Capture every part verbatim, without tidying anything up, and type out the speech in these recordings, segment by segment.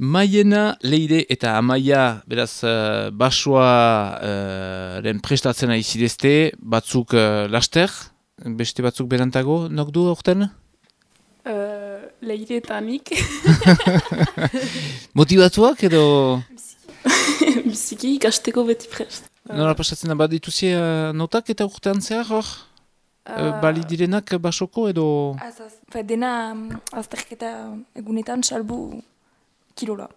Maiena, Leire eta Amaia, beraz, uh, basoa uh, ren prestatzena izidezte, batzuk uh, laster, beste batzuk berantago, nok du aurten? Uh, Leire eta nik. Motivatuak edo? Biziki ikasteko beti prest. Nola pasatzen da bat dituzie uh, notak eta urtean zehar hor? Uh, bali direnak basoko edo? Az, az. Fe, dena um, azterketa egunetan salbu kilola.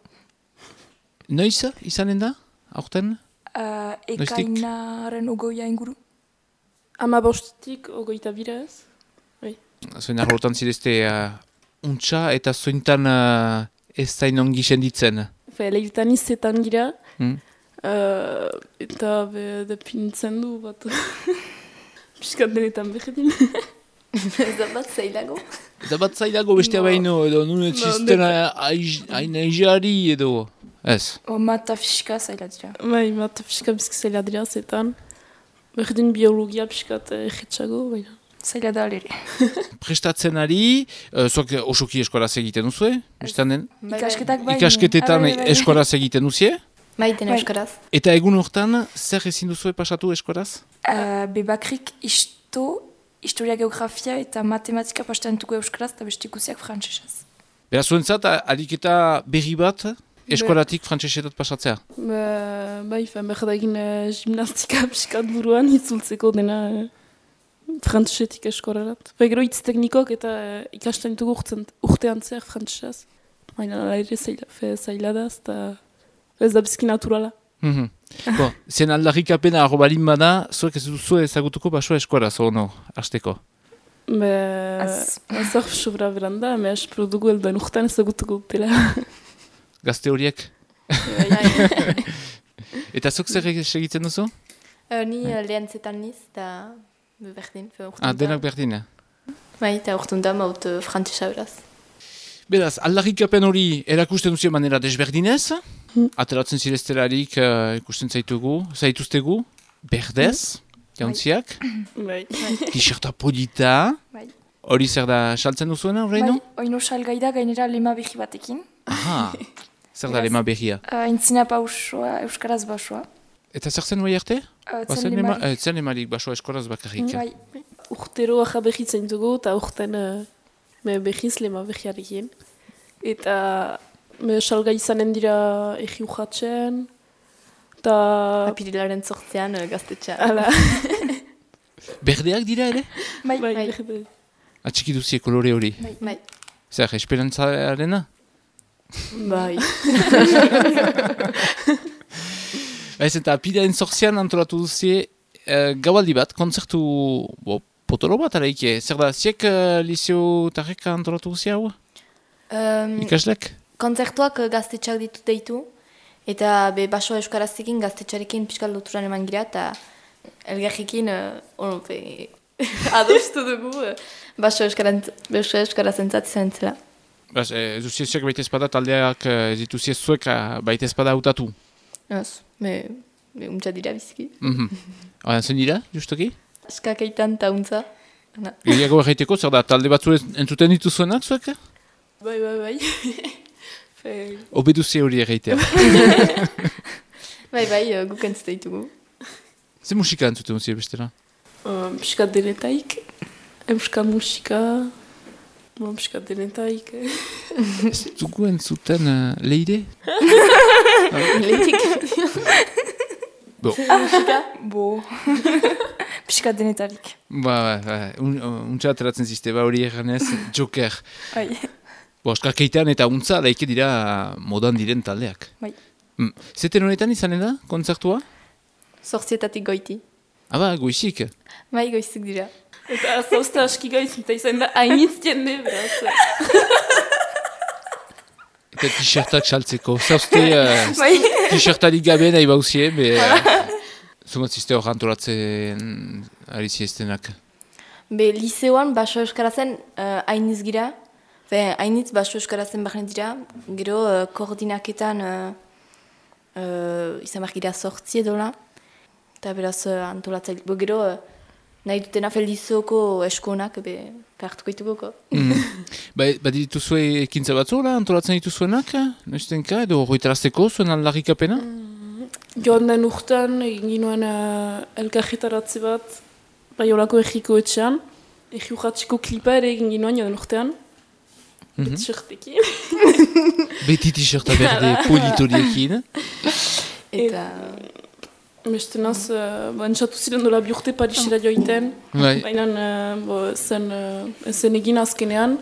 Noiz izanen da, aurten? Uh, ekainaren ogoia inguru. Ama bostetik ogoita bira ez? Zoin arrotan zidezte uh, untxa eta zointan uh, ez zain ongi senditzen. Fe, leiretan izetan gira. Hmm? Uh, eta be, depinitzen du bat. Piskat denetan behedin. Ez da bat zailago? Eta bat zailago bestea no. Baino, edo nune txisten hain aizari edo, ez? O mata fiska zaila dira. Bai, mata fiska bizki zaila dira zetan. Berdin biologia piskat egetxago, baina. Zaila da alere. Prestatzen ari, uh, zuak osoki eskoraz egiten duzu, den? Ikasketak bai. Ikasketetan eskoraz egiten duzie? Maiten bai. Euskaraz. Eta egun hortan, zer ezin duzu pasatu eskoraz? Uh, bebakrik isto, historia geografia eta matematika pastentuko euskaraz eta beste ikusiak frantsesez. Beraz, zuentzat, ariketa berri bat eskolatik frantsesetat pasatzea? Ba, bai, behar da egin uh, gimnastika piskat buruan itzultzeko dena uh, frantsesetik eskorarat. Ba, gero hitz teknikok eta uh, ikasten ditugu urtean zer frantsesez. Baina ere zaila, zaila da, eta ez da bizki naturala. Mm-hmm. Bon, zen aldarrikapena arro balin bada, zuek ez duzu ezagutuko basoa eskoraz, ono, hasteko? Be, ez hor sobra beranda, me espero dugu eldoen urtean ezagutuko dutela. Gazte horiek? Eta zuk zer egiten duzu? Uh, ni uh, lehen zetan niz, eta berdin. Ah, denak berdin, bai, eta urtun da maut uh, frantzesa beraz. Beraz, aldarrikapen hori erakusten duzio manera desberdinez, hmm. Ateratzen zireztelarik uh, ikusten zaitugu, zaituztegu, berdez, hmm. Jauntziak, bai. T-shirta polita, bai. Hori zer da saltzen duzuena, horreino? Bai, oino salgai da gainera lema behi batekin. Aha, zer da lema behia? Uh, Intzina pausoa, euskaraz basoa. Eta zer zen bai arte? Uh, zen lemarik. Eh, zen lemarik basoa eskoraz bakarrik. Bai. Urtero aja behitzen dugu, eta urten uh, me behiz lema behiarekin. Eta me salga izanen dira egi ujatzen, eta... Apirilaren zortzean uh, gaztetxean. Hala. Berdeak dira ere? Bai, bai. bai. bai. Atxiki duzie kolore hori? Bai. bai. Zer, esperantzarena? Bai. Ez eta apirilaren zortzean antolatu duzie uh, gaualdi bat, kontzertu bo, potolo bat araike. Zer da, ziek uh, Liseo Tarrek antolatu duzie hau? Um, Ikaslek? Kontzertuak uh, gaztetxak ditu deitu, eta be basoa euskarazekin gaztetxarekin pixkal loturan eman gira, eta elgarrekin uh, ono, be, adostu dugu uh, basoa euskarazentzat izan entzela. Bas, ez duzie ziek baita espada taldeak ez dituzie zuek baita espada hautatu? Ez, me, me untza dira biziki. Mm-hmm. Oan zen dira, justoki? Eskakeitan eta untza. Gehiago erraiteko, zer da, talde batzu entzuten dituzuenak zuek? Bai, bai, bai. Obeduzie hori erraitea. bai, bai, uh, guk entzute ditugu. Ze musika entzuten duzio bestela? Uh, Piskat denetaik, euska musika, uh, piskat denetaik. Ez dugu entzuten uh, Leire? Leitik. Bo. Musika? Bo. Piskat denetarik. Ba, ba, ba. Un, untsa ateratzen ziste, ba hori erranez, Joker. Bai. Bo, eskakeitan eta untza laike dira modan diren taldeak. Bai. Mm. Zeten honetan izanen da, kontzertua? Zortzietatik goiti. Aba, goizik. Bai, goizik dira. Eta zauzta aski gaiz, eta izan da hainitz jende, beraz. Eta t-shirtak saltzeko. Zauzte uh, Bai. t-shirtarik gabe nahi bauzie, be... Uh, Zumatzizte hor antolatzen ari ziestenak. Be, liseoan baso euskarazen uh, hainitz gira. Be, hainitz baso euskarazen bahnen dira. Gero uh, koordinaketan uh, uh, izan behar gira sortzi edola. Eta beraz uh, antolatzaile. Bo, gero uh, nahi dutena feldizoko eskonak, be, hartuko ditugoko. Mm. ba, ba dituzue ekintza batzu, la, antolatzen dituzuenak, noiztenka, edo horretarazteko zuen aldarrikapena? Mm, joan den urtean, egin ginoen uh, elkarretaratze bat, bai olako egiko etxean, egi urratxiko klipa ere egin ginoen joan den urtean, Mm-hmm. bet-shirtekin. Beti t-shirta berde politoriekin. Eta... Beste naz, uh, ba, entzatu ziren dola bi urte Parisera joiten, Bai. baina uh, zen, uh, zen egin azkenean,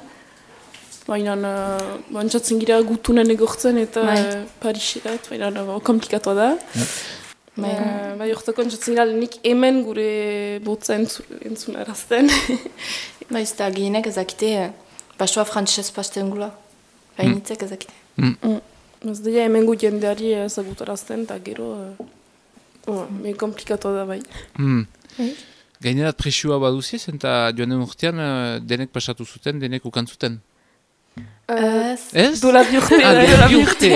baina uh, ba, entzatzen gira gutunen egortzen eta Bai. uh, Parisera, baina uh, komplikatua da. Bai. Uh, bai, hortako entzatzen gira lehenik hemen gure botza entzu, entzun arazten. Ba, ez da gehienek ezakite, basoa frantxez pasten gula. Gainitzek ezakite. Mm. Mm. Ez daia hemen gu jendeari ezagutarazten, eta gero... Uh, oh, me komplikatua da bai. Mm. Mm. Gainerat presioa baduziez, eta joan den urtean uh, denek pasatu zuten, denek ukantzuten. Uh, Ez. Ez? Dola bi urte. Ah, bai, dola bi bi urte.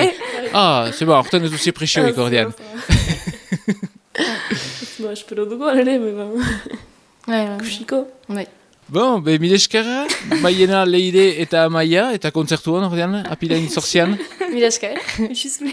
Ah, zeba, horten ez duzi presioik ordean. Ba, espero dugu alere, beba. Bai, bai. Kusiko. Bai. Bon, be, mile eskerra, Maiena, Leire eta Amaia, eta kontzertuan ordean, apilain zorzian. Mila esker. Just